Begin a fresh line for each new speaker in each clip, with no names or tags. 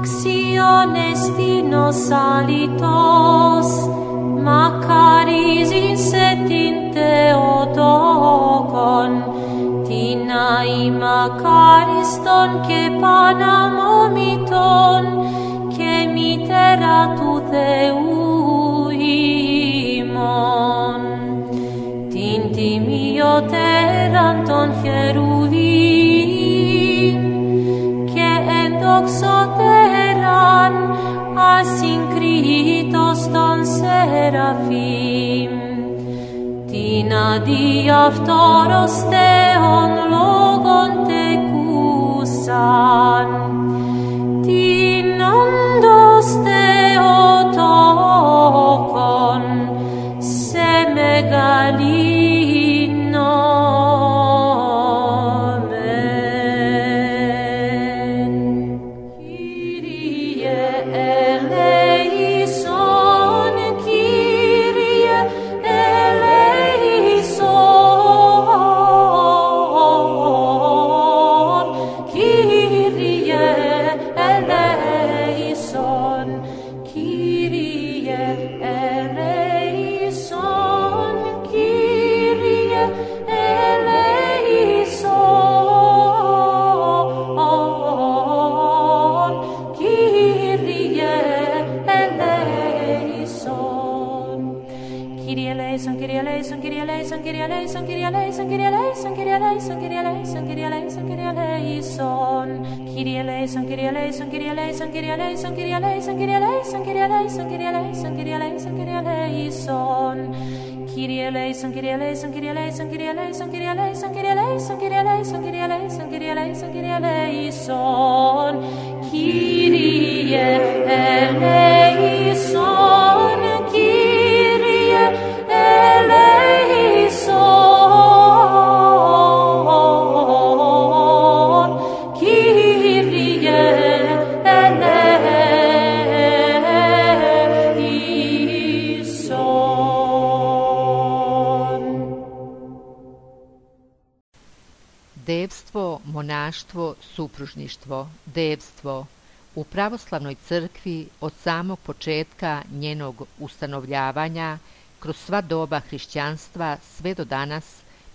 acciones dinos alitos, Macaris insetin Theotokon, Tina I Macariston que panamomiton, que mitera tu Theuimon, Tinti mio teranton cheruvim, que endoxoteran asinkritos ton seraphim, Tina diaptoros theon logon tekusan, Tinandos Theotokon se megalinomen. Kyrie eleison, Kyrie eleison, Kyrie eleison, Kyrie eleison, Kyrie eleison, Kyrie eleison. Kyrie eleison, Kyrie eleison, Kyrie eleison, Kyrie eleison, Kyrie eleison, Kyrie eleison, Kyrie eleison, Kyrie eleison, Kyrie eleison, Kyrie eleison. Kyrie eleison, Kyrie eleison, Kyrie eleison, Kyrie eleison, Kyrie eleison, Kyrie eleison, Kyrie eleison, Kyrie eleison, Kyrie eleison, Kyrie eleison. Kyrie eleison, Kyrie eleison, Kyrie eleison, Kyrie eleison, Kyrie eleison, Kyrie eleison, Kyrie eleison, Kyrie eleison, Kyrie eleison, Kyrie eleison. Kyrie eleison, Kyrie eleison, Kyrie eleison.
Devstvo, monaštvo, supružništvo. Devstvo. U pravoslavnoj crkvi od samog početka njenog ustanovljavanja kroz sva doba hrišćanstva sve do danas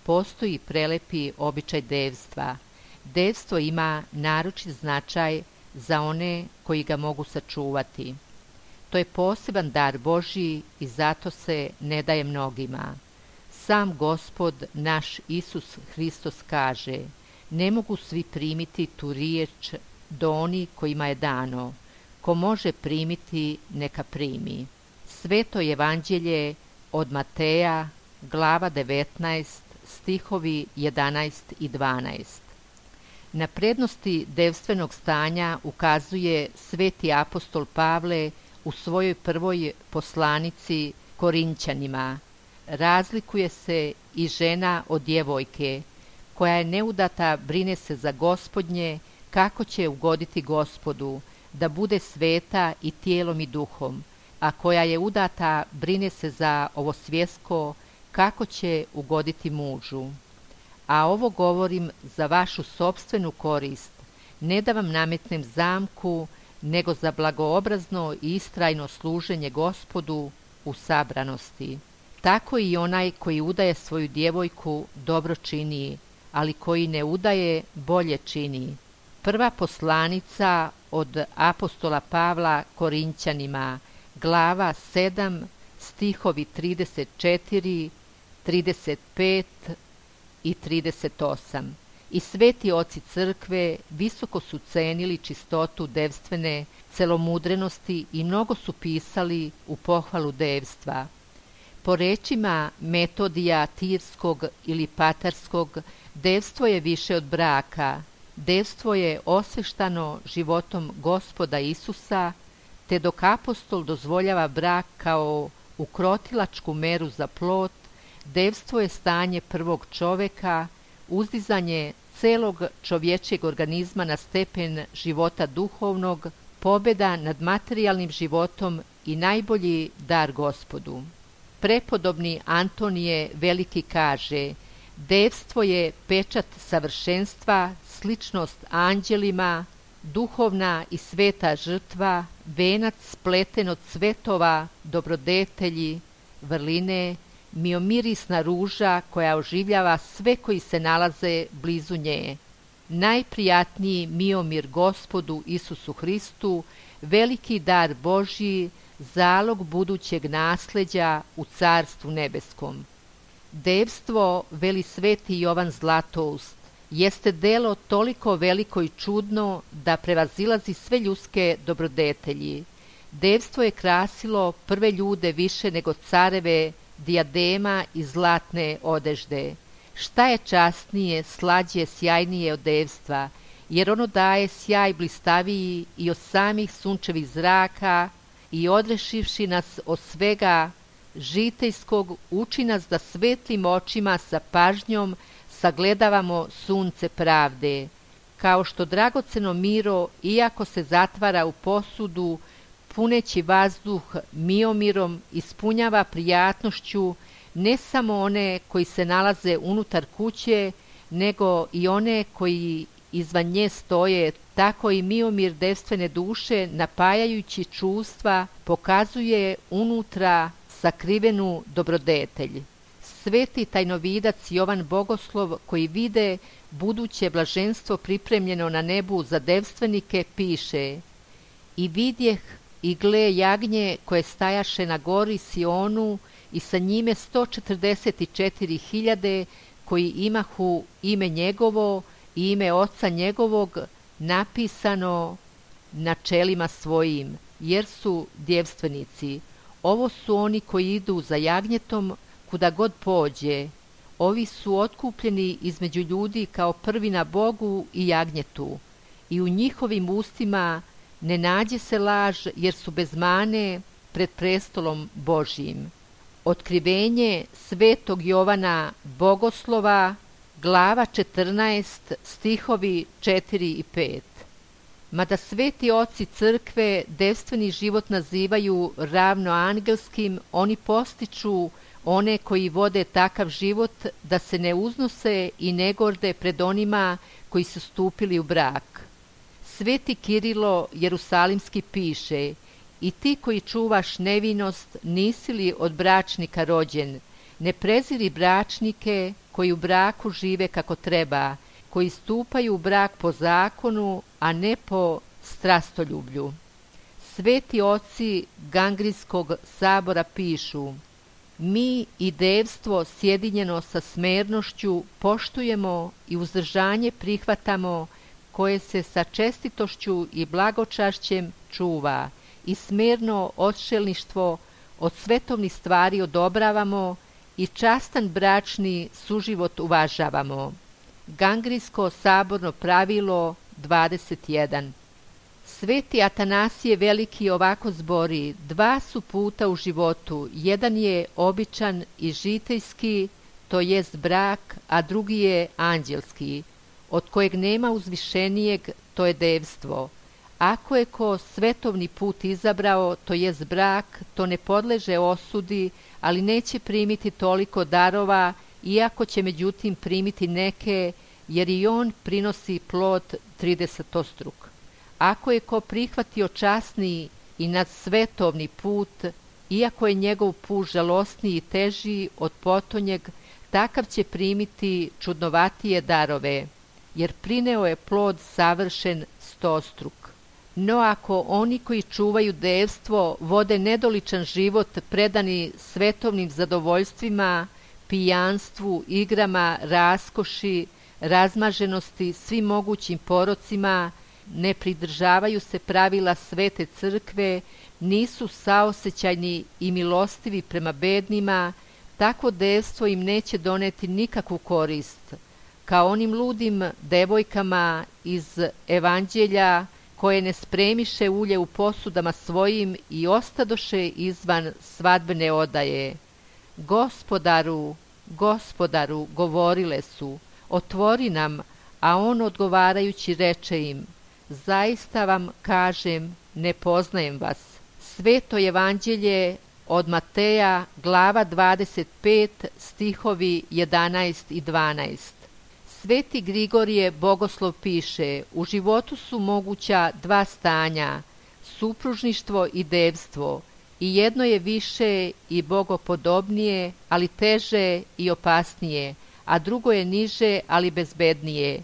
postoji prelepi običaj devstva. Devstvo ima naročit značaj za one koji ga mogu sačuvati. To je poseban dar Božji i zato se ne daje mnogima. Sam Gospod naš Isus Hristos kaže: ne mogu svi primiti tu riječ do oni kojima je dano. Ko može primiti, neka primi. Sveto evanđelje od Mateja, glava 19, stihovi 11 i 12. Na prednosti devstvenog stanja ukazuje sveti apostol Pavle u svojoj prvoj poslanici Korinćanima. Razlikuje se i žena od djevojke, koja je neudata brine se za Gospodnje, kako će ugoditi Gospodu, da bude sveta i tijelom i duhom, a koja je udata brine se za ovo svjetsko, kako će ugoditi mužu. A ovo govorim za vašu sopstvenu korist, ne da vam nametnem zamku, nego za blagoobrazno i istrajno služenje Gospodu u sabranosti. Tako i onaj koji udaje svoju djevojku dobro čini, ali koji ne udaje bolje čini. Prva poslanica od apostola Pavla Korinćanima, glava 7, stihovi 34, 35 i 38. I sveti oci crkve visoko su cenili čistotu devstvene celomudrenosti i mnogo su pisali u pohvalu devstva. Po rečima Metodija Tirskog ili Patarskog, devstvo je više od braka. Devstvo je osveštano životom Gospoda Isusa, te dok apostol dozvoljava brak kao ukrotilačku meru za plod, devstvo je stanje prvog čoveka, uzdizanje celog čovječjeg organizma na stepen života duhovnog, pobjeda nad materijalnim životom i najbolji dar Gospodu. Prepodobni Antonije Veliki kaže: devstvo je pečat savršenstva, sličnost anđelima, duhovna i sveta žrtva, venac spleten od cvetova, dobrodetelji, vrline, miomirisna ruža koja oživljava sve koji se nalaze blizu nje. Najprijatniji miomir Gospodu Isusu Hristu, veliki dar Božji, zalog budućeg nasleđa u Carstvu nebeskom. Devstvo, veli sveti Jovan Zlatoust, jeste delo toliko veliko i čudno da prevazilazi sve ljudske dobrodetelji. Devstvo je krasilo prve ljude više nego careve, dijadema i zlatne odežde. Šta je časnije, slađe, sjajnije od devstva, jer ono daje sjaj blistaviji i od samih sunčevih zraka i odrešivši nas od svega žitejskog, uči nas da svetlim očima sa pažnjom sagledavamo sunce pravde, kao što dragoceno miro, iako se zatvara u posudu, puneći vazduh miomirom, ispunjava prijatnošću ne samo one koji se nalaze unutar kuće, nego i one koji izvan nje stoje, tako i miomir devstvene duše, napajajući čustva, pokazuje unutra sakrivenu dobrodetelj. Sveti tajnovidac Jovan Bogoslov, koji vide buduće blaženstvo pripremljeno na nebu za devstvenike, piše: I vidjeh i gle jagnje koje stajaše na gori Sionu i sa njime 144.000 koji imahu ime njegovo i ime oca njegovog napisano na čelima svojim, jer su djevstvenici. Ovo su oni koji idu za jagnjetom kuda god pođe. Ovi su otkupljeni između ljudi kao prvi na Bogu i jagnjetu. I u njihovim ustima ne nađe se laž, jer su bez mane pred prestolom Božjim. Otkrivenje svetog Jovana Bogoslova, glava 14, stihovi 4 i 5. Mada sveti oci crkve devstveni život nazivaju ravnoangelskim, oni postiču one koji vode takav život da se ne uznose i ne gorde pred onima koji su stupili u brak. Sveti Kirilo Jerusalimski piše: I ti koji čuvaš nevinost, nisi li od bračnika rođen? Ne preziri bračnike koji u braku žive kako treba, koji stupaju u brak po zakonu, a ne po strastoljublju. Sveti oci Gangrijskog sabora pišu: Mi i devstvo sjedinjeno sa smernošću poštujemo i uzdržanje prihvatamo, koje se sa čestitošću i blagočašćem čuva, i smerno odšelništvo od svetovnih stvari odobravamo i častan bračni suživot uvažavamo. Gangrijsko saborno pravilo 21. Sveti Atanasije Veliki ovako zbori: Dva su puta u životu, jedan je običan i žitejski, to jest brak, a drugi je anđelski, od kojeg nema uzvišenijeg, to je devstvo. Ako je ko svetovni put izabrao, to jest brak, to ne podleže osudi, ali neće primiti toliko darova, iako će međutim primiti neke, jer i on prinosi plod 30-struk. Ako je ko prihvatio časni i nadsvetovni put, iako je njegov put žalosniji i teži od potonjeg, takav će primiti čudnovatije darove, jer prineo je plod savršen 100-struk. No ako oni koji čuvaju devstvo vode nedoličan život predani svetovnim zadovoljstvima, pijanstvu, igrama, raskoši, razmaženosti, svim mogućim porocima, ne pridržavaju se pravila svete crkve, nisu saosećajni i milostivi prema bednima, tako devstvo im neće doneti nikakvu korist, kao onim ludim devojkama iz evanđelja koje ne spremiše ulje u posudama svojim i ostadoše izvan svadbene odaje. Gospodaru, Gospodaru, govorile su, otvori nam, a on odgovarajući reče im: Zaista vam kažem, ne poznajem vas. Sveto evanđelje od Mateja, glava 25, stihovi 11 i 12. Sveti Grigorije Bogoslov piše: u životu su moguća dva stanja, supružništvo i devstvo, i jedno je više i bogopodobnije, ali teže i opasnije, a drugo je niže, ali bezbednije.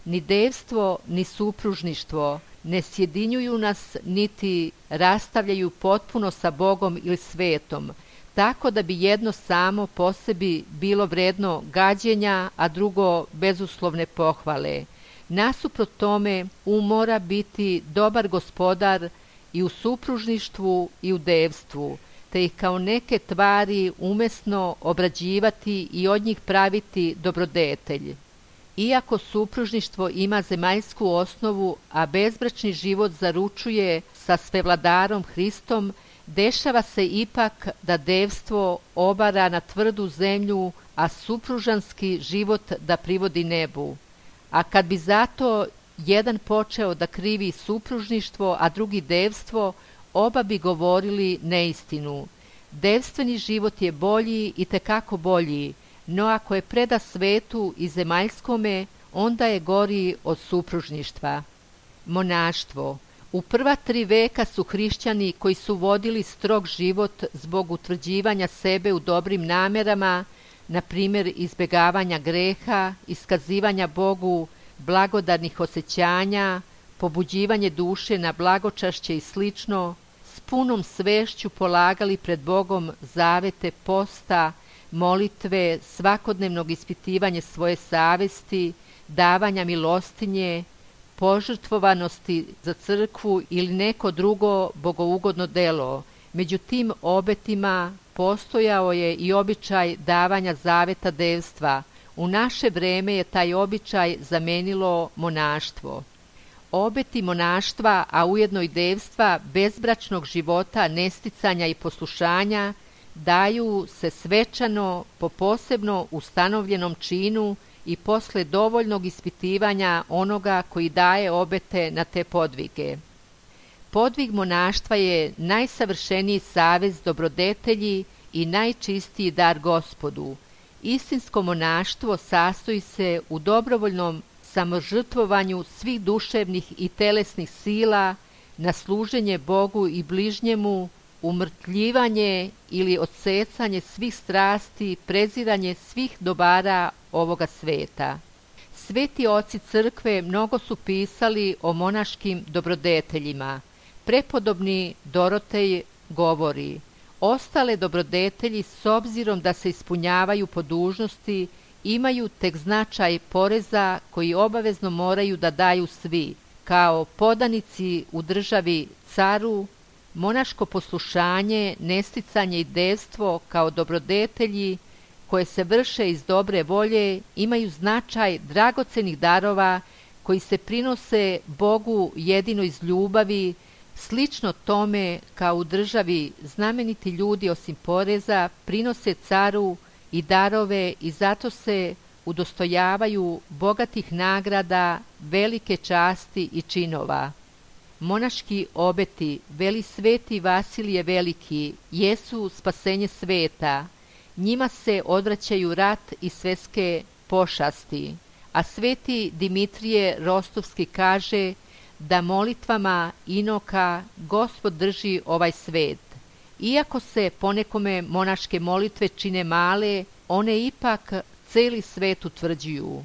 Ni devstvo, ni supružništvo ne sjedinjuju nas, niti rastavljaju potpuno sa Bogom ili svetom, tako da bi jedno samo po sebi bilo vredno gađenja, a drugo bezuslovne pohvale. Nasuprot tome, mora biti dobar gospodar i u supružništvu i u devstvu, te ih kao neke tvari umesno obrađivati i od njih praviti dobrodetelj. Iako supružništvo ima zemaljsku osnovu, a bezbračni život zaručuje sa svevladarom Hristom, dešava se ipak da devstvo obara na tvrdu zemlju, a supružanski život da privodi nebu. A kad bi zato jedan počeo da krivi supružništvo, a drugi devstvo, oba bi govorili neistinu. Devstveni život je bolji i tekako bolji, no ako je preda svetu i zemaljskome, onda je gori od supružništva. Monaštvo. U prva 3 veka su hrišćani koji su vodili strog život zbog utvrđivanja sebe u dobrim namerama, na primjer izbjegavanja greha, iskazivanja Bogu blagodarnih osjećanja, pobuđivanje duše na blagočašće i slično, s punom svešću polagali pred Bogom zavete posta, molitve, svakodnevnog ispitivanja svoje savesti, davanja milostinje, požrtvovanosti za crkvu ili neko drugo bogougodno delo. Među tim obetima postojao je i običaj davanja zaveta devstva. U naše vreme je taj običaj zamenilo monaštvo. Obeti monaštva, a ujedno i devstva, bezbračnog života, nesticanja i poslušanja, daju se svečano po posebno ustanovljenom činu i posle dovoljnog ispitivanja onoga koji daje obete na te podvige. Podvig monaštva je najsavršeniji savez dobrodetelji i najčistiji dar Gospodu. Istinsko monaštvo sastoji se u dobrovoljnom samožrtvovanju svih duševnih i telesnih sila na služenje Bogu i bližnjemu, umrtljivanje ili odsecanje svih strasti, preziranje svih dobara ovoga sveta. Sveti oci crkve mnogo su pisali o monaškim dobrodeteljima. Prepodobni Dorotej govori: ostale dobrodetelji, s obzirom da se ispunjavaju po dužnosti, imaju tek značaj poreza koji obavezno moraju da daju svi, kao podanici u državi caru. Monaško poslušanje, nesticanje i devstvo kao dobrodetelji koje se vrše iz dobre volje imaju značaj dragocenih darova koji se prinose Bogu jedino iz ljubavi, slično tome kao u državi znameniti ljudi osim poreza prinose caru i darove i zato se udostojavaju bogatih nagrada, velike časti i činova. Monaški obeti, veli sveti Vasilije Veliki, jesu spasenje sveta. Njima se odvraćaju rat i svetske pošasti. A sveti Dimitrije Rostovski kaže da molitvama inoka Gospod drži ovaj svet. Iako se ponekome monaške molitve čine male, one ipak celi svet utvrđuju.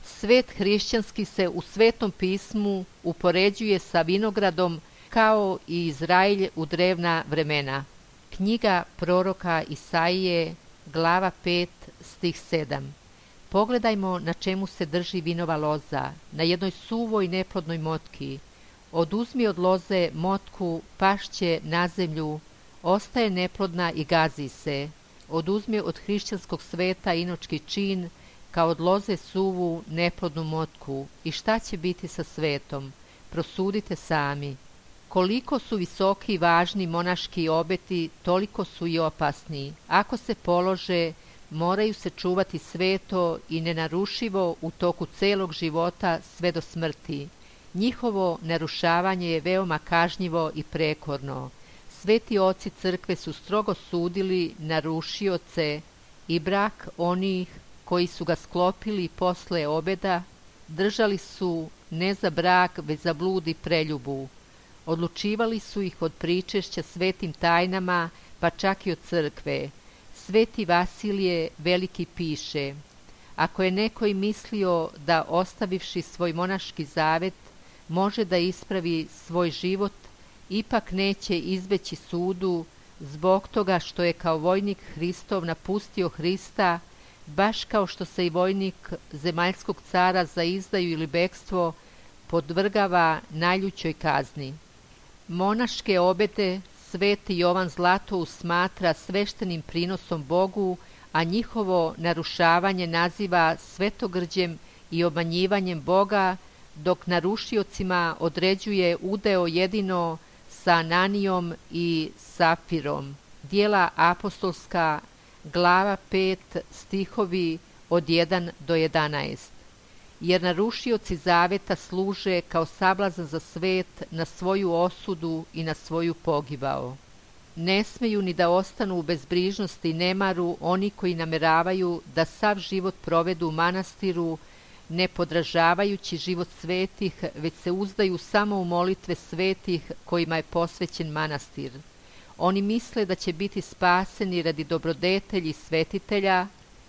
Svet hrišćanski se u Svetom pismu upoređuje sa vinogradom kao i Izraelj u drevna vremena. Knjiga proroka Isaije, glava 5, stih 7. Pogledajmo na čemu se drži vinova loza, na jednoj suvoj neplodnoj motki. Oduzmi od loze motku, pašće na zemlju, ostaje neplodna i gazi se. Oduzmi od hrišćanskog sveta inočki čin, kao od loze suvu neplodnu motku, i šta će biti sa svetom? Prosudite sami. Koliko su visoki i važni monaški obeti, toliko su i opasni. Ako se polože, moraju se čuvati sveto i nenarušivo u toku celog života sve do smrti. Njihovo narušavanje je veoma kažnjivo i prekorno. Sveti oci crkve su strogo sudili narušioce i brak onih koji su ga sklopili posle obeda, držali su ne za brak, već za blud i preljubu. Odlučivali su ih od pričešća svetim tajnama, pa čak i od crkve. Sveti Vasilije Veliki piše: ako je neko i mislio da, ostavivši svoj monaški zavet, može da ispravi svoj život, ipak neće izbeći sudu, zbog toga što je kao vojnik Hristov napustio Hrista, baš kao što se i vojnik zemaljskog cara za izdaju ili bekstvo podvrgava najljućoj kazni. Monaške obete sveti Jovan Zlatoust smatra sveštenim prinosom Bogu, a njihovo narušavanje naziva svetogrđem i obmanjivanjem Boga, dok narušiocima određuje udeo jedino sa Ananijom i Safirom. Djela apostolska, glava 5, stihovi od 1 do 11. Jer narušioci zaveta služe kao sablazan za svet na svoju osudu i na svoju pogibao. Ne smeju ni da ostanu u bezbrižnosti i nemaru oni koji nameravaju da sav život provedu u manastiru, ne podražavajući život svetih, već se uzdaju samo u molitve svetih kojima je posvećen manastir. Oni misle da će biti spaseni radi dobrodetelji svetitelja,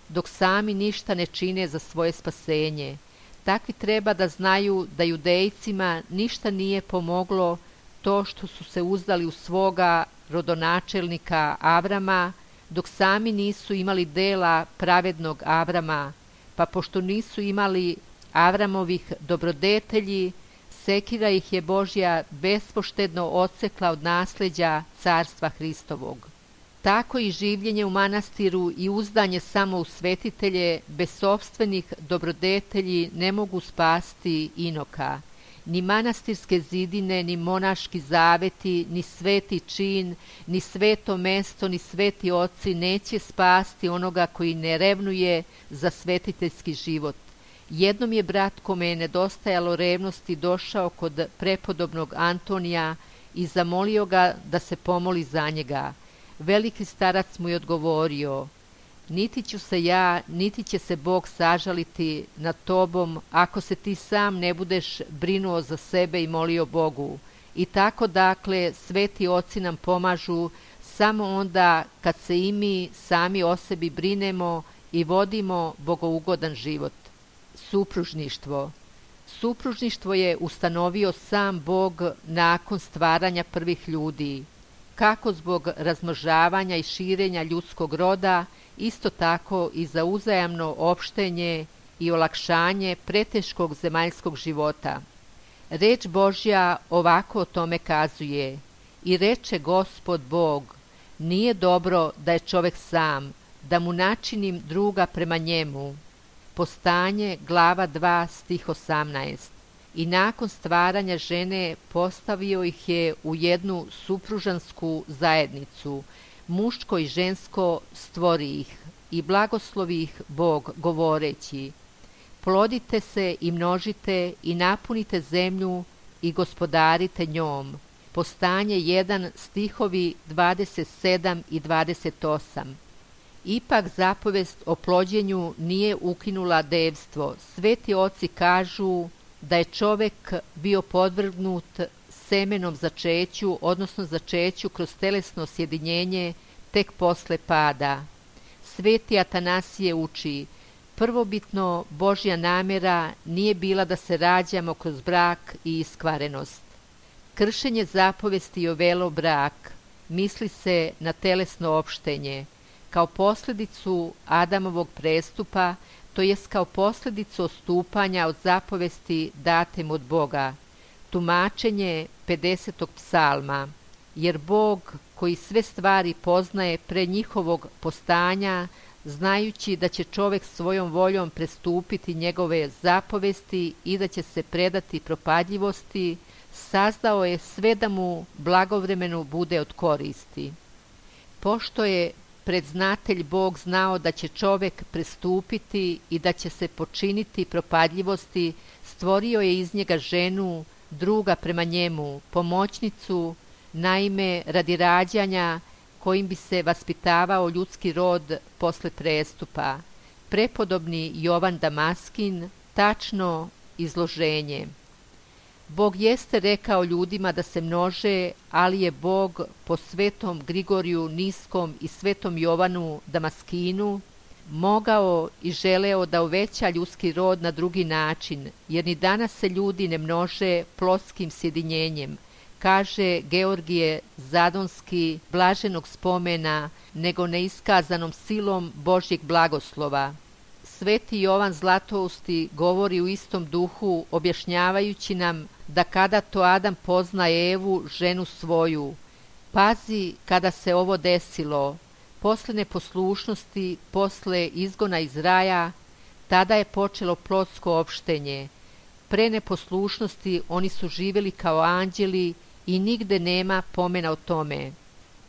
dok sami ništa ne čine za svoje spasenje. Takvi treba da znaju da judejcima ništa nije pomoglo to što su se uzdali u svoga rodonačelnika Avrama, dok sami nisu imali dela pravednog Avrama, pa pošto nisu imali Avramovih dobrodetelji, sekira ih je Božja bespoštedno odsekla od nasleđa carstva Hristovog. Tako i življenje u manastiru i uzdanje samo u svetitelje bez sopstvenih dobrodetelji ne mogu spasti inoka. Ni manastirske zidine, ni monaški zaveti, ni sveti čin, ni sveto mesto, ni sveti oci neće spasti onoga koji ne revnuje za svetiteljski život. Jednom je brat kome je nedostajalo revnosti došao kod prepodobnog Antonija i zamolio ga da se pomoli za njega. Veliki starac mu je odgovorio: niti ću se ja, niti će se Bog sažaliti nad tobom ako se ti sam ne budeš brinuo za sebe i molio Bogu. I tako dakle sveti oci nam pomažu samo onda kad se i mi sami o sebi brinemo i vodimo bogougodan život. Supružništvo. Supružništvo je ustanovio sam Bog nakon stvaranja prvih ljudi. Kako zbog razmnožavanja i širenja ljudskog roda, isto tako i za uzajamno opštenje i olakšanje preteškog zemaljskog života. Reč Božja ovako o tome kazuje: i reče Gospod Bog, nije dobro da je čovek sam, da mu načinim druga prema njemu. Postanje, glava 2, stih 18. I nakon stvaranja žene postavio ih je u jednu supružansku zajednicu, muško i žensko stvori ih i blagoslovi ih Bog govoreći: plodite se i množite i napunite zemlju i gospodarite njom. Postanje 1, stihovi 27 i 28. Ipak zapovest o plođenju nije ukinula devstvo. Sveti oci kažu da je čovek bio podvrgnut semenom začeću, odnosno začeću kroz telesno sjedinjenje tek posle pada. Sveti Atanasije uči: prvobitno Božja namjera nije bila da se rađamo kroz brak i iskvarenost. Kršenje zapovesti je uvelo brak, misli se na telesno opštenje, kao posljedicu Adamovog prestupa, to jest kao posljedicu odstupanja od zapovesti datem od Boga. Tumačenje 50. psalma: jer Bog koji sve stvari poznaje pre njihovog postanja, znajući da će čovek svojom voljom prestupiti njegove zapovesti i da će se predati propadljivosti, sazdao je sve da mu blagovremeno bude od koristi. Pošto je predznatelj Bog znao da će čovek prestupiti i da će se počiniti propadljivosti, stvorio je iz njega ženu, druga prema njemu, pomoćnicu, naime radi rađanja kojim bi se vaspitavao ljudski rod posle prestupa. prepodobni Jovan Damaskin tačno izloženje. Bog jeste rekao ljudima da se množe, ali je Bog po svetom Grigoriju Niskom i svetom Jovanu Damaskinu mogao i želeo da uveća ljudski rod na drugi način, jer ni danas se ljudi ne množe plotskim sjedinjenjem, kaže Georgije Zadonski blaženog spomena, nego neiskazanom silom Božjeg blagoslova. Sveti Jovan Zlatousti govori u istom duhu, objašnjavajući nam da kada to Adam pozna Evu, ženu svoju. Pazi kada se ovo desilo, posle neposlušnosti, posle izgona iz raja, tada je počelo plotsko opštenje. Pre neposlušnosti oni su živjeli kao anđeli i nigde nema pomena o tome.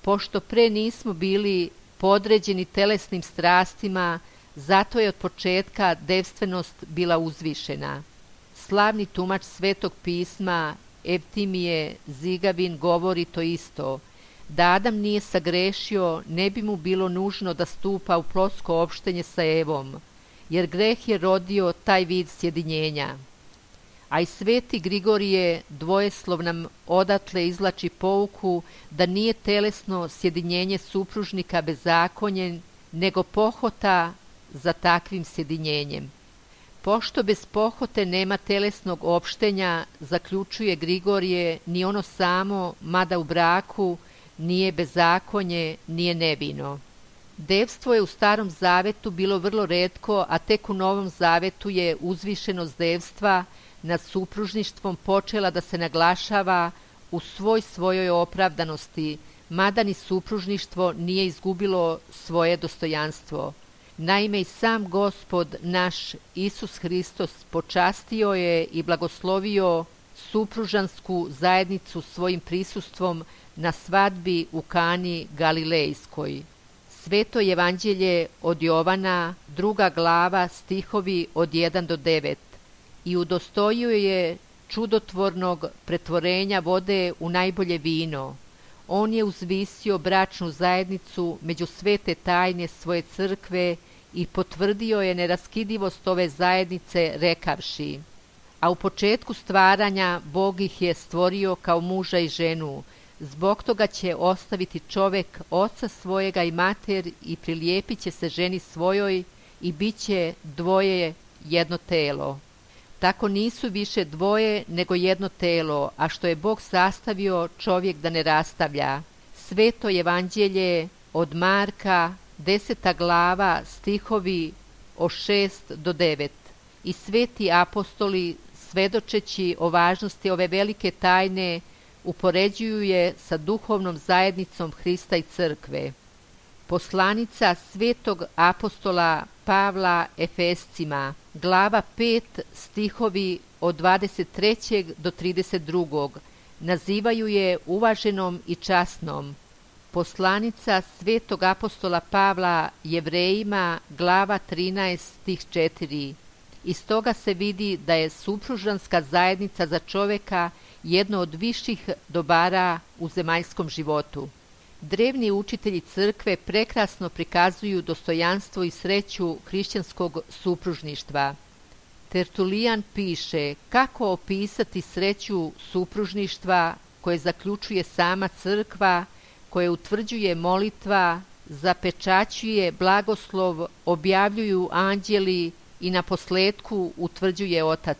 Pošto pre nismo bili podređeni telesnim strastima, zato je od početka devstvenost bila uzvišena. Slavni tumač Svetog pisma Evtimije Zigavin govori to isto. Da Adam nije sagrešio, ne bi mu bilo nužno da stupa u plotsko opštenje sa Evom, jer greh je rodio taj vid sjedinjenja. A i sveti Grigorije dvojeslov nam odatle izvlači pouku da nije telesno sjedinjenje supružnika bezakonje, nego pohota za takvim sjedinjenjem. Pošto bez pohote nema telesnog opštenja, zaključuje Grigorije, ni ono samo, mada u braku, nije bezakonje, nije nevino. Devstvo je u Starom zavetu bilo vrlo retko, a tek u Novom zavetu je uzvišenost devstva nad supružništvom počela da se naglašava u svojoj opravdanosti, mada ni supružništvo nije izgubilo svoje dostojanstvo. Naime, i sam Gospod naš Isus Hristos počastio je i blagoslovio supružansku zajednicu svojim prisustvom na svadbi u Kani Galilejskoj. Sveto evanđelje od Jovana, 2. glava, stihovi od 1 do 9. I udostojio je čudotvornog pretvorenja vode u najbolje vino. On je uzvisio bračnu zajednicu među svete tajne svoje crkve i potvrdio je neraskidivost ove zajednice rekavši: a u početku stvaranja Bog ih je stvorio kao muža i ženu, zbog toga će ostaviti čovek oca svojega i mater i prilijepit će se ženi svojoj i bit će dvoje jedno telo. Tako nisu više dvoje nego jedno telo, a što je Bog sastavio, čovjek da ne rastavlja. Sveto evanđelje od Marka, 10. glava, stihovi od 6 do 9. I sveti apostoli, svedočeći o važnosti ove velike tajne, upoređuju je sa duhovnom zajednicom Hrista i crkve. Poslanica svetog apostola Pavla Efescima, glava 5, stihovi od 23. do 32. nazivaju je uvaženom i časnom. Poslanica svetog apostola Pavla Jevrejima, glava 13, stih 4. Iz toga se vidi da je supružanska zajednica za čoveka jedno od viših dobara u zemaljskom životu. Drevni učitelji crkve prekrasno prikazuju dostojanstvo i sreću hrišćanskog supružništva. Tertulijan piše kako opisati sreću supružništva koje zaključuje sama crkva, koje utvrđuje molitva, zapečaćuje blagoslov, objavljuju anđeli i na posledku utvrđuje Otac.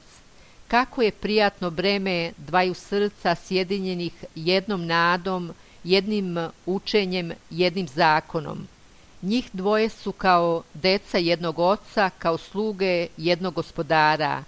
Kako je prijatno breme dvaju srca sjedinjenih jednom nadom, jednim učenjem, jednim zakonom. Njih dvoje su kao deca jednog oca, kao sluge jednog gospodara.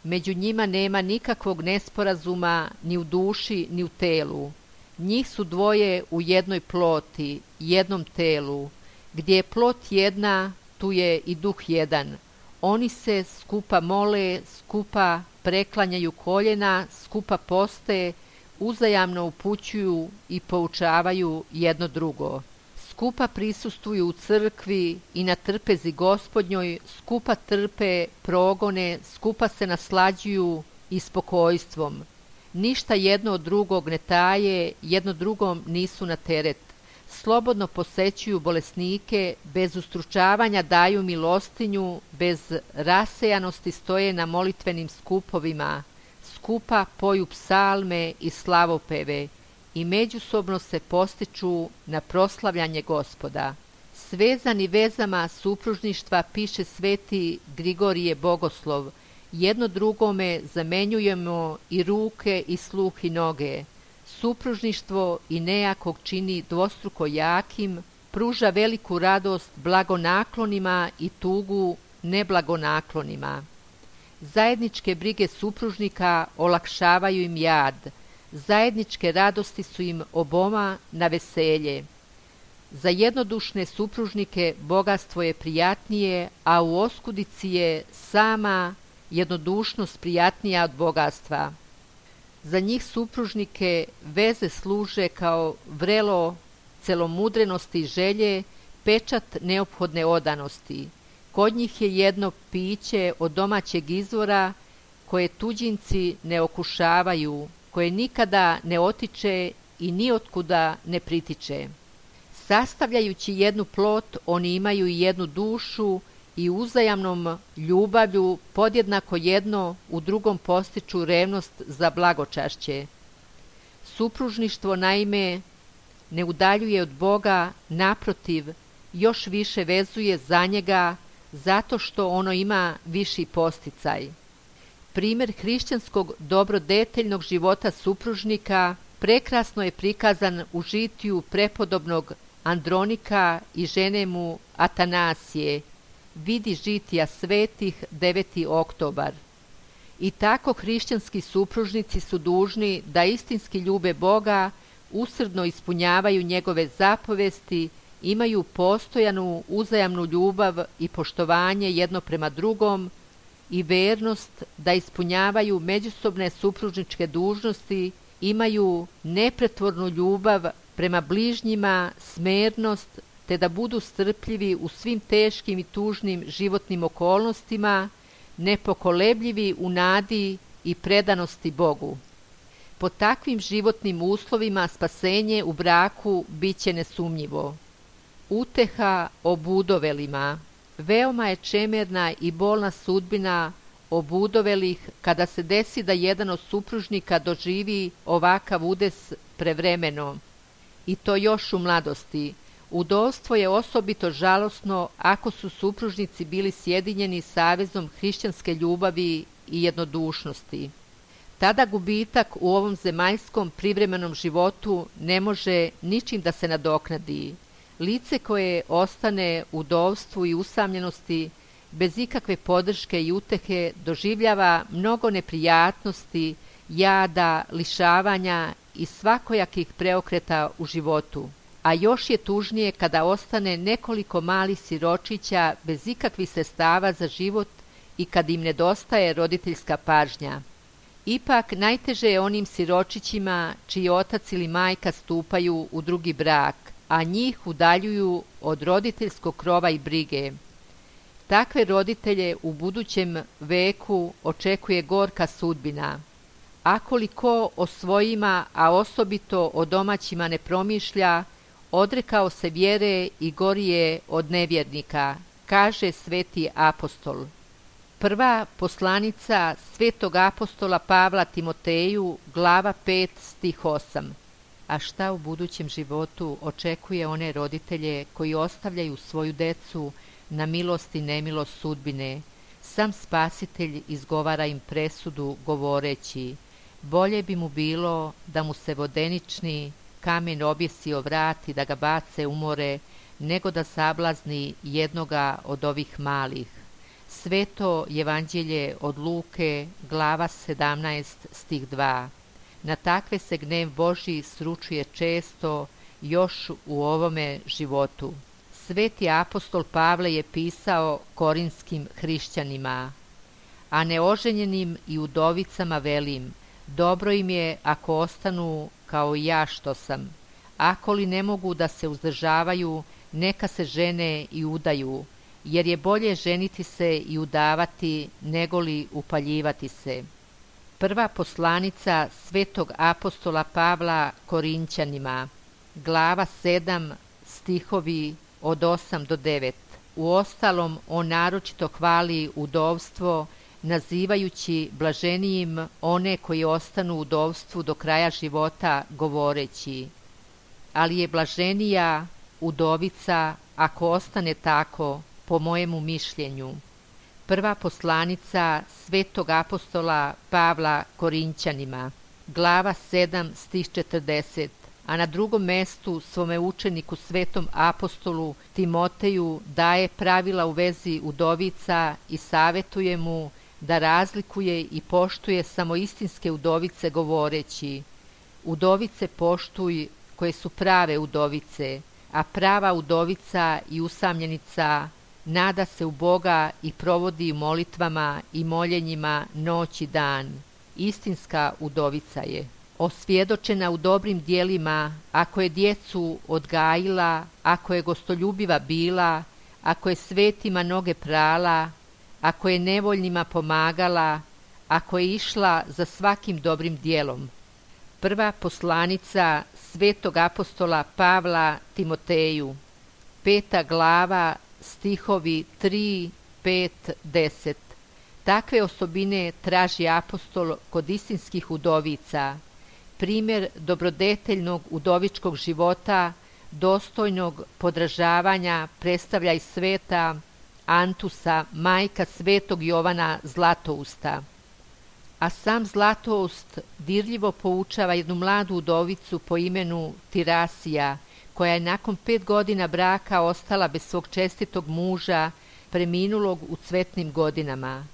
Među njima nema nikakvog nesporazuma ni u duši, ni u telu. Njih su dvoje u jednoj ploti, jednom telu. Gdje je plot jedna, tu je i duh jedan. Oni se skupa mole, skupa preklanjaju koljena, skupa poste, uzajamno upućuju i poučavaju jedno drugo. Skupa prisustvuju u crkvi i na trpezi Gospodnjoj, skupa trpe progone, skupa se naslađuju i spokojstvom. Ništa jedno od drugog ne taje, jedno drugom nisu na teret. slobodno posećuju bolesnike, bez ustručavanja daju milostinju, bez rasejanosti stoje na molitvenim skupovima, skupa poju psalme i slavopeve i međusobno se postiču na proslavljanje Gospoda. Svezani vezama supružništva piše sveti Grigorije Bogoslov, jedno drugome zamenjujemo i ruke i sluh i noge. Supružništvo i nejakog čini dvostruko jakim, pruža veliku radost blagonaklonima i tugu neblagonaklonima. Zajedničke brige supružnika olakšavaju im jad, zajedničke radosti su im oboma na veselje. Za jednodušne supružnike bogatstvo je prijatnije, a u oskudici je sama jednodušnost prijatnija od bogatstva. Za njih supružnike veze služe kao vrelo celomudrenosti i želje, pečat neophodne odanosti. Kod njih je jedno piće od domaćeg izvora koje tuđinci ne okušavaju, koje nikada ne otiče i nijotkuda ne pritiče. Sastavljajući jednu plot, oni imaju i jednu dušu i uzajamnom ljubavlju podjednako jedno u drugom postiču revnost za blagočašće. Supružništvo naime ne udaljuje od Boga, naprotiv, još više vezuje za njega zato što ono ima viši posticaj. Primjer hrišćanskog dobrodeteljnog života supružnika prekrasno je prikazan u žitiju prepodobnog Andronika i žene mu Atanasije, vidi žitija svetih 9. oktobar. I tako hrišćanski supružnici su dužni da istinski ljube Boga, usrdno ispunjavaju njegove zapovesti, imaju postojanu uzajamnu ljubav i poštovanje jedno prema drugom i vernost da ispunjavaju međusobne supružničke dužnosti, imaju nepretvornu ljubav prema bližnjima, smernost, te da budu strpljivi u svim teškim i tužnim životnim okolnostima, nepokolebljivi u nadi i predanosti Bogu. Po takvim životnim uslovima spasenje u braku biće nesumnjivo. Uteha obudovelima. Veoma je čemerna i bolna sudbina obudovelih kada se desi da jedan od supružnika doživi ovakav udes prevremeno, i to još u mladosti. Udovstvo je osobito žalosno ako su supružnici bili sjedinjeni savezom hrišćanske ljubavi i jednodušnosti. Tada gubitak u ovom zemaljskom privremenom životu ne može ničim da se nadoknadi. Lice koje ostane u udovstvu i usamljenosti, bez ikakve podrške i utehe, doživljava mnogo neprijatnosti, jada, lišavanja i svakojakih preokreta u životu. A još je tužnije kada ostane nekoliko malih siročića bez ikakvih sredstava za život i kad im nedostaje roditeljska pažnja. Ipak najteže je onim siročićima čiji otac ili majka stupaju u drugi brak, a njih udaljuju od roditeljskog krova i brige. Takve roditelje u budućem veku očekuje gorka sudbina. Ako li ko o svojima, a osobito o domaćima ne promišlja, odrekao se vjere i gorije od nevjernika, kaže sveti apostol. Prva poslanica svetog apostola Pavla Timoteju, glava 5, stih 8. A šta u budućem životu očekuje one roditelje koji ostavljaju svoju decu na milost i nemilost sudbine? Sam Spasitelj izgovara im presudu govoreći: bolje bi mu bilo da mu se vodenični kamen objesio vrat i da ga bace u more, nego da sablazni jednoga od ovih malih. Sveto Evanđelje od Luke, glava 17, stih 2. Na takve se gnev Božji sručuje često još u ovome životu. Sveti apostol Pavle je pisao korinskim hrišćanima: a neoženjenim i udovicama velim, dobro im je ako ostanu kao i ja što sam. Ako li ne mogu da se uzdržavaju, neka se žene i udaju, jer je bolje ženiti se i udavati nego li upaljivati se. Prva poslanica svetog apostola Pavla Korinćanima. glava 7, stihovi od 8 do 9. Uostalom, on naročito hvali udovstvo, nazivajući blaženijim one koji ostanu u udovstvu do kraja života, govoreći: ali je blaženija udovica ako ostane tako, po mojemu mišljenju. Prva poslanica svetog apostola Pavla Korinćanima, glava 7, stih 40, a na drugom mestu svome učeniku svetom apostolu Timoteju daje pravila u vezi udovica i savetuje mu da razlikuje i poštuje samo istinske udovice, govoreći: udovice poštuj koje su prave udovice, a prava udovica i usamljenica nada se u Boga i provodi u molitvama i moljenjima noć i dan. Istinska udovica je osvjedočena u dobrim dijelima, ako je djecu odgajila, ako je gostoljubiva bila, ako je svetima noge prala, ako je nevoljnima pomagala, ako je išla za svakim dobrim dijelom. Prva poslanica svetog apostola Pavla Timoteju, 5. glava, stihovi 3, 5, 10. Takve osobine traži apostol kod istinskih udovica. Primjer dobrodeteljnog udovičkog života, dostojnog podražavanja, predstavlja i sveta Antusa, majka svetog Jovana Zlatousta. A sam Zlatoust dirljivo poučava jednu mladu udovicu po imenu Tirasija, koja je nakon 5 godina braka ostala bez svog čestitog muža, preminulog u cvetnim godinama.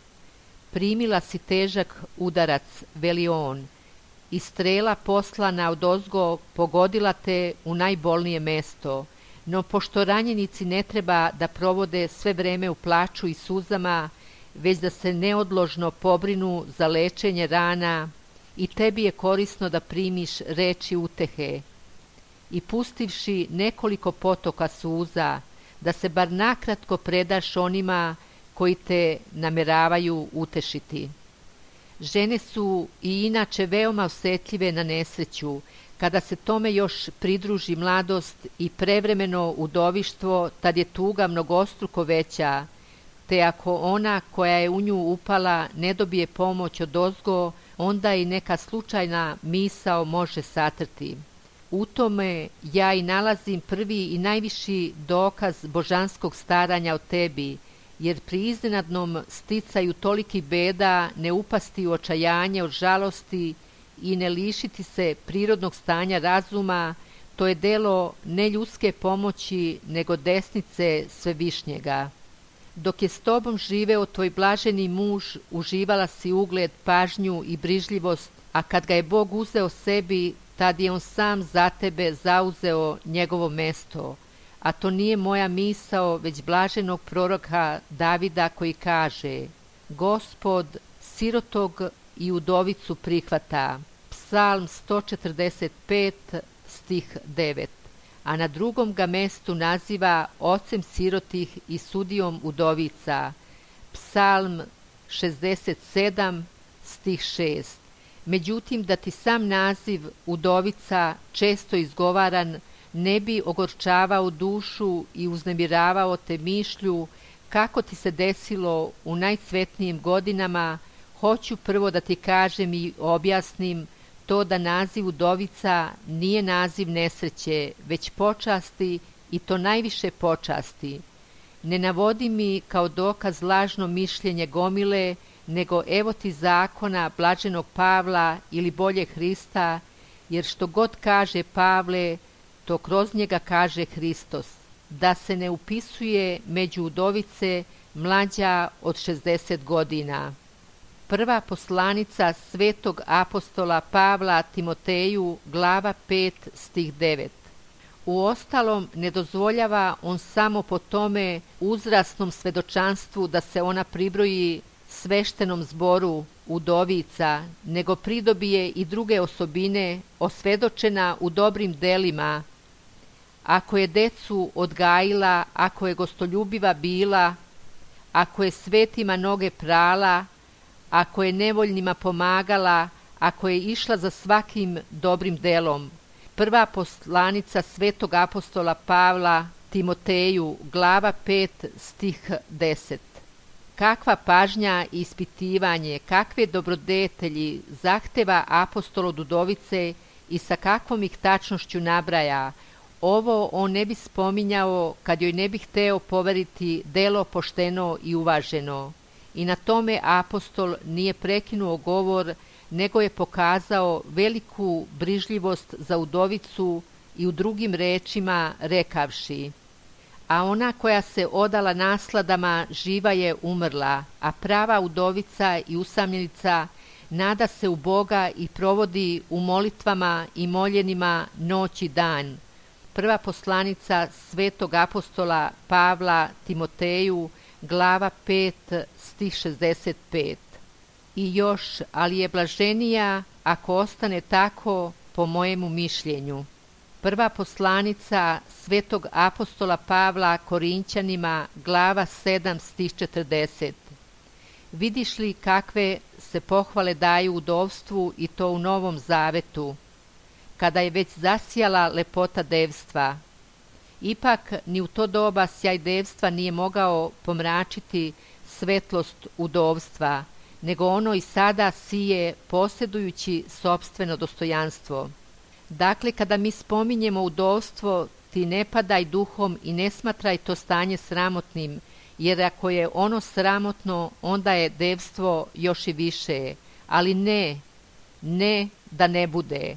Primila si težak udarac, veli on, i strela poslana odozgo pogodila te u najbolnije mesto, no pošto ranjenici ne treba da provode sve vreme u plaču i suzama, već da se neodložno pobrinu za lečenje rana, i tebi je korisno da primiš reči utehe. I pustivši nekoliko potoka suza, da se bar nakratko predaš onima koji te nameravaju utešiti. Žene su i inače veoma osjetljive na nesreću. Kada se tome još pridruži mladost i prevremeno udovištvo, tad je tuga mnogostruko veća, te ako ona koja je u nju upala ne dobije pomoć odozgo, onda i neka slučajna misao može satrti. U tome ja i nalazim prvi i najviši dokaz božanskog staranja o tebi, jer pri iznenadnom sticaju toliki beda ne upasti u očajanje od žalosti i ne lišiti se prirodnog stanja razuma, to je delo ne ljudske pomoći, nego desnice Svevišnjega. Dok je s tobom živeo tvoj blaženi muž, uživala si ugled, pažnju i brižljivost, a kad ga je Bog uzeo sebi, tad je on sam za tebe zauzeo njegovo mesto. A to nije moja misao, već blaženog proroka Davida, koji kaže: Gospod sirotog i udovicu prihvata. Psalm 145, stih 9. A na drugom ga mestu naziva ocem sirotih i sudijom udovica. Psalm 67, stih 6. Međutim, da ti sam naziv udovica, često izgovaran, ne bi ogorčavao dušu i uznemiravao te mišlju kako ti se desilo u najcvetnijim godinama, hoću prvo da ti kažem i objasnim to da naziv udovica nije naziv nesreće, već počasti, i to najviše počasti. Ne navodi mi kao dokaz lažno mišljenje gomile, nego evo ti zakona blaženog Pavla ili bolje Hrista, jer što god kaže Pavle, to kroz njega kaže Hristos, da se ne upisuje među udovice mlađa od 60 godina. Prva poslanica svetog apostola Pavla Timoteju, glava 5, stih 9. Uostalom, ne dozvoljava on samo po tome uzrasnom svedočanstvu da se ona pribroji sveštenom zboru udovica, nego pridobije i druge osobine osvedočena u dobrim delima. Ako je decu odgajila, ako je gostoljubiva bila, ako je svetima noge prala, ako je nevoljnima pomagala, ako je išla za svakim dobrim delom. Prva poslanica svetog apostola Pavla Timoteju, glava 5, stih 10. Kakva pažnja i ispitivanje, kakve dobrodetelji zahteva apostol od udovice i sa kakvom ih tačnošću nabraja, ovo on ne bi spominjao kad joj ne bi hteo poveriti delo pošteno i uvaženo. I na tome apostol nije prekinuo govor, nego je pokazao veliku brižljivost za udovicu i u drugim rečima rekavši: a ona koja se odala nasladama živa je umrla, a prava udovica i usamljenica nada se u Boga i provodi u molitvama i moljenima noć i dan. Prva poslanica svetog apostola Pavla Timoteju, glava 5, stih 65. I još, ali je blaženija ako ostane tako, po mojemu mišljenju. Prva poslanica svetog apostola Pavla Korinćanima, glava 7, stih 40. Vidiš li kakve se pohvale daju udovstvu i to u Novom Zavetu, kada je već zasijala lepota devstva. Ipak ni u to doba sjaj devstva nije mogao pomračiti svetlost udovstva, nego ono i sada sije posjedujući sopstveno dostojanstvo. Dakle, kada mi spominjemo udovstvo, ti ne padaj duhom i ne smatraj to stanje sramotnim, jer ako je ono sramotno, onda je devstvo još i više. Ali ne da ne bude.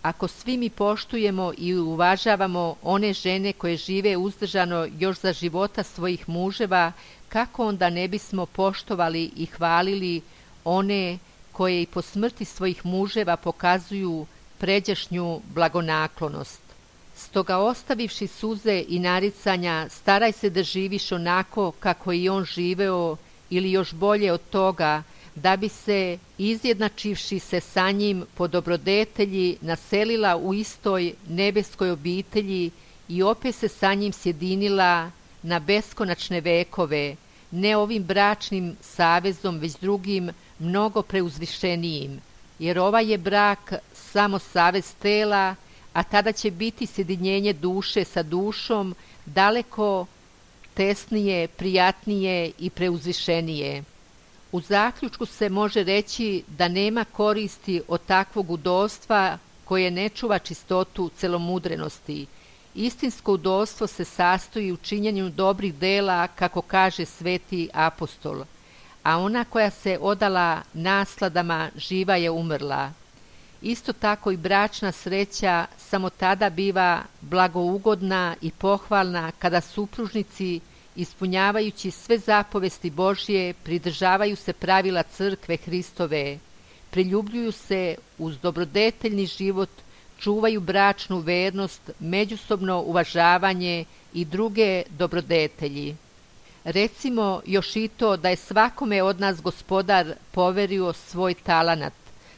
Ako svi mi poštujemo i uvažavamo one žene koje žive uzdržano još za života svojih muževa, kako onda ne bismo poštovali i hvalili one koje i po smrti svojih muževa pokazuju pređašnju blagonaklonost. Stoga ostavivši suze i naricanja, staraj se da živiš onako kako i on živeo, ili još bolje od toga, da bi se, izjednačivši se sa njim po dobrodetelji, naselila u istoj nebeskoj obitelji i opet se sa njim sjedinila na beskonačne vekove, ne ovim bračnim savezom, već drugim, mnogo preuzvišenijim, jer ovaj je brak samo savez tela, a tada će biti sjedinjenje duše sa dušom daleko tesnije, prijatnije i preuzvišenije. U zaključku se može reći da nema koristi od takvog udovstva koje ne čuva čistotu celomudrenosti. Istinsko udovstvo se sastoji u činjenju dobrih dela, kako kaže sveti apostol, a ona koja se odala nasladama živa je umrla. Isto tako i bračna sreća samo tada biva blagougodna i pohvalna kada supružnici, ispunjavajući sve zapovesti Božje, pridržavaju se pravila crkve Hristove, priljubljuju se uz dobrodeteljni život, čuvaju bračnu vernost, međusobno uvažavanje i druge dobrodetelji. Recimo još i to da je svakome od nas Gospodar poverio svoj talanat,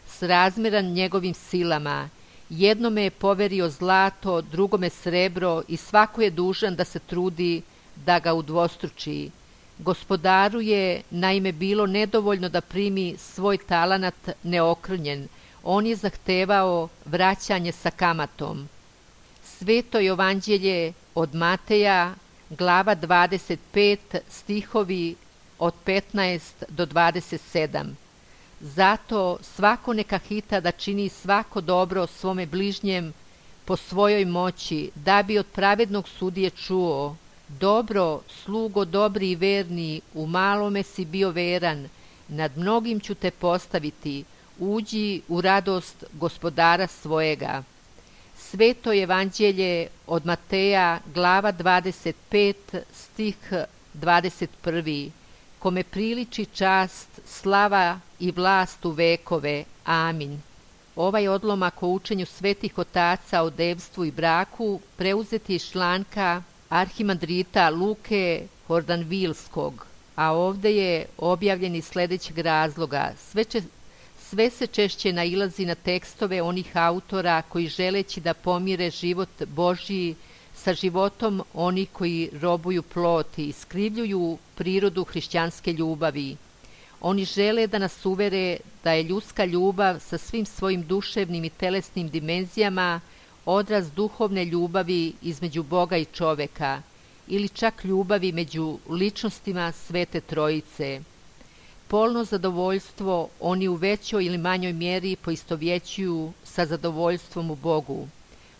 srazmjeran njegovim silama. Jednome je poverio zlato, drugome srebro i svako je dužan da se trudi da ga udvostruči. Gospodaru je naime bilo nedovoljno da primi svoj talanat neokrnjen, on je zahtevao vraćanje sa kamatom. Sveto evanđelje od Mateja, glava 25, stihovi od 15 do 27. Zato svako neka hita da čini svako dobro svome bližnjem po svojoj moći, da bi od pravednog sudije čuo: dobro, slugo dobri i verni, u malome si bio veran, nad mnogim ću te postaviti, uđi u radost gospodara svojega. Sveto evanđelje od Mateja, glava 25, stih 21. Kome priliči čast, slava i vlast u vekove. Amin. Ovaj odlomak o učenju svetih otaca o devstvu i braku preuzet je iz članka arhimandrita Luke Hordanvilskog, a ovde je objavljen iz sledećeg razloga. Sve se češće nailazi na tekstove onih autora koji, želeći da pomire život Božji sa životom oni koji robuju ploti, iskrivljuju prirodu hrišćanske ljubavi. Oni žele da nas uvere da je ljudska ljubav sa svim svojim duševnim i telesnim dimenzijama odraz duhovne ljubavi između Boga i čoveka ili čak ljubavi među ličnostima Svete Trojice. Polno zadovoljstvo oni u većoj ili manjoj mjeri poistovjećuju sa zadovoljstvom u Bogu.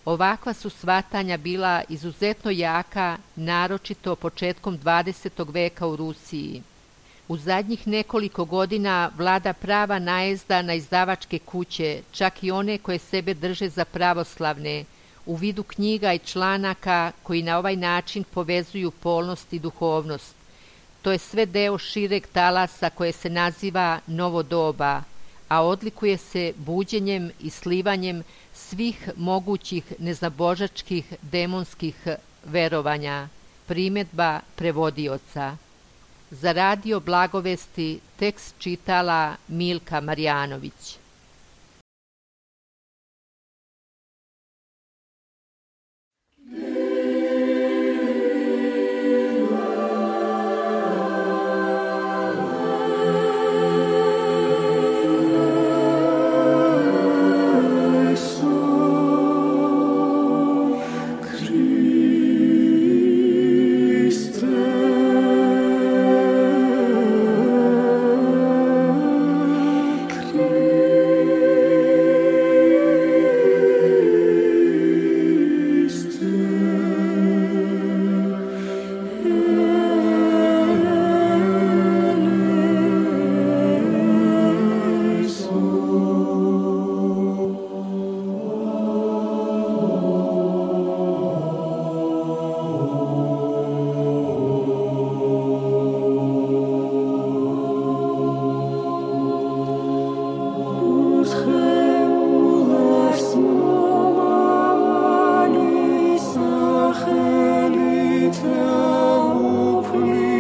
Ovakva su shvatanja bila izuzetno jaka, naročito početkom 20. veka u Rusiji. U zadnjih nekoliko godina vlada prava najezda na izdavačke kuće, čak i one koje sebe drže za pravoslavne, u vidu knjiga i članaka koji na ovaj način povezuju polnost i duhovnost. To je sve deo šireg talasa koje se naziva novo doba, a odlikuje se buđenjem i slivanjem svih mogućih neznabožačkih demonskih verovanja. Primjedba prevodioca. Za radio Blagovesti tekst čitala Milka Marjanović.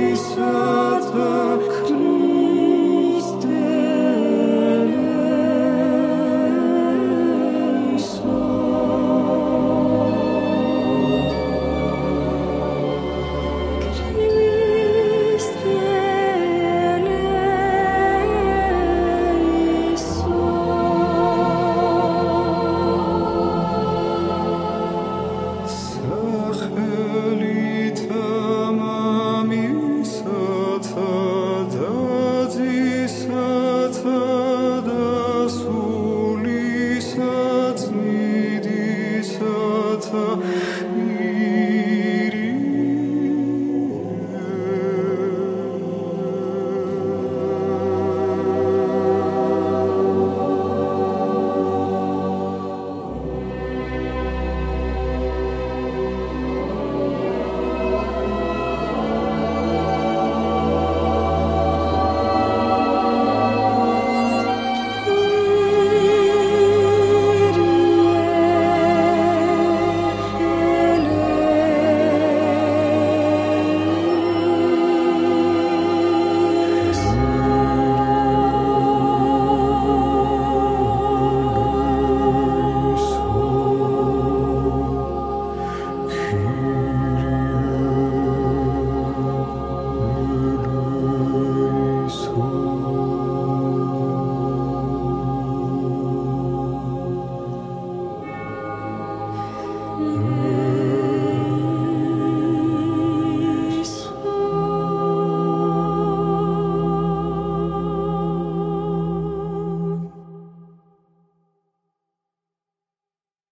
Sat